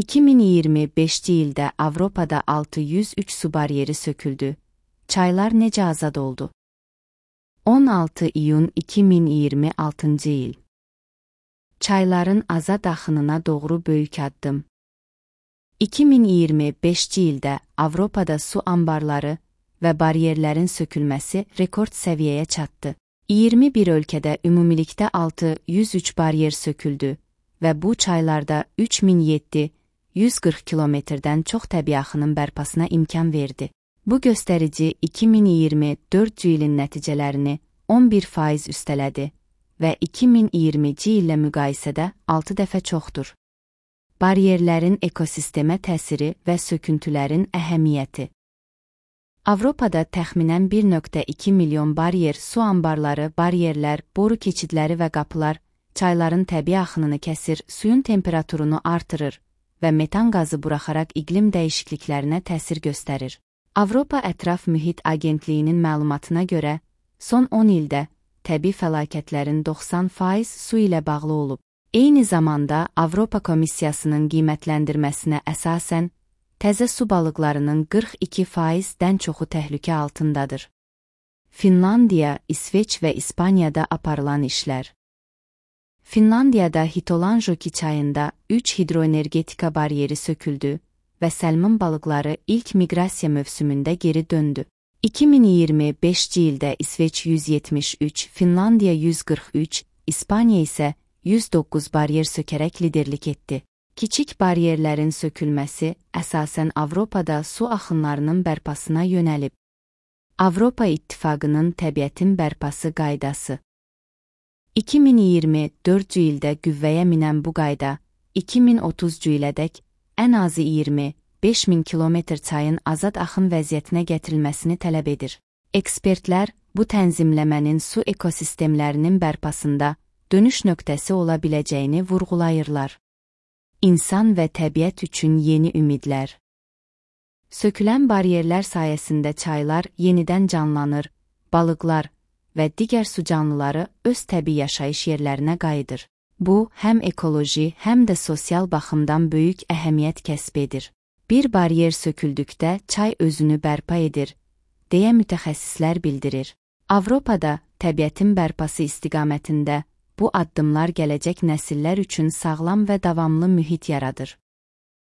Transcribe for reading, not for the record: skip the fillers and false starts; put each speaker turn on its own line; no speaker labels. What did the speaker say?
2025-ci ildə Avropada 603 su baryeri söküldü. Çaylar necə azad oldu? 16 iyun 2026-cı il. Çayların azad axınına doğru böyük addım. 2025-ci ildə Avropada su ambarları və baryerlərin sökülməsi rekord səviyyəyə çatdı. 21 ölkədə ümumilikdə 603 baryer söküldü və bu çaylarda 3740 kilometrdən çox təbii axının bərpasına imkan verdi. Bu göstərici 2024-cü ilin nəticələrini 11% üstələdi və 2020-ci illə müqayisədə 6 dəfə çoxdur. Baryerlərin ekosistemə təsiri və söküntülərin əhəmiyyəti. Avropada təxminən 1,2 milyon baryer, su ambarları, baryerlər, boru keçidləri və qapılar çayların təbii axınını kəsir, suyun temperaturunu artırır və metan qazı buraxaraq iqlim dəyişikliklərinə təsir göstərir. Avropa Ətraf Mühit Agentliyinin məlumatına görə, son 10 ildə təbii fəlakətlərin 90% su ilə bağlı olub. Eyni zamanda Avropa Komissiyasının qiymətləndirməsinə əsasən, təzə su balıqlarının 42%-dən çoxu təhlükə altındadır. Finlandiya, İsveç və İspaniyada aparılan işlər. Finlandiyada Hitolanjoki çayında 3 hidroenergetika baryeri söküldü və səlmin balıqları ilk miqrasiya mövsümündə geri döndü. 2025-ci ildə İsveç 173, Finlandiya 143, İspaniya isə 109 baryer sökərək liderlik etdi. Kiçik baryerlərin sökülməsi əsasən Avropada su axınlarının bərpasına yönəlib. Avropa İttifaqının təbiətin bərpası qaydası. 2024-cü ildə qüvvəyə minən bu qayda, 2030-cu ilədək ən azı 25.000 kilometr çayın azad axın vəziyyətinə gətirilməsini tələb edir. Ekspertlər bu tənzimləmənin su ekosistemlərinin bərpasında dönüş nöqtəsi ola biləcəyini vurğulayırlar. İnsan və təbiət üçün yeni ümidlər. Sökülən baryerlər sayəsində çaylar yenidən canlanır, balıqlar və digər su canlıları öz təbii yaşayış yerlərinə qayıdır. Bu, həm ekoloji, həm də sosial baxımdan böyük əhəmiyyət kəsb edir. Bir baryer söküldükdə çay özünü bərpa edir, deyə mütəxəssislər bildirir. Avropada təbiətin bərpası istiqamətində bu addımlar gələcək nəsillər üçün sağlam və davamlı mühit yaradır.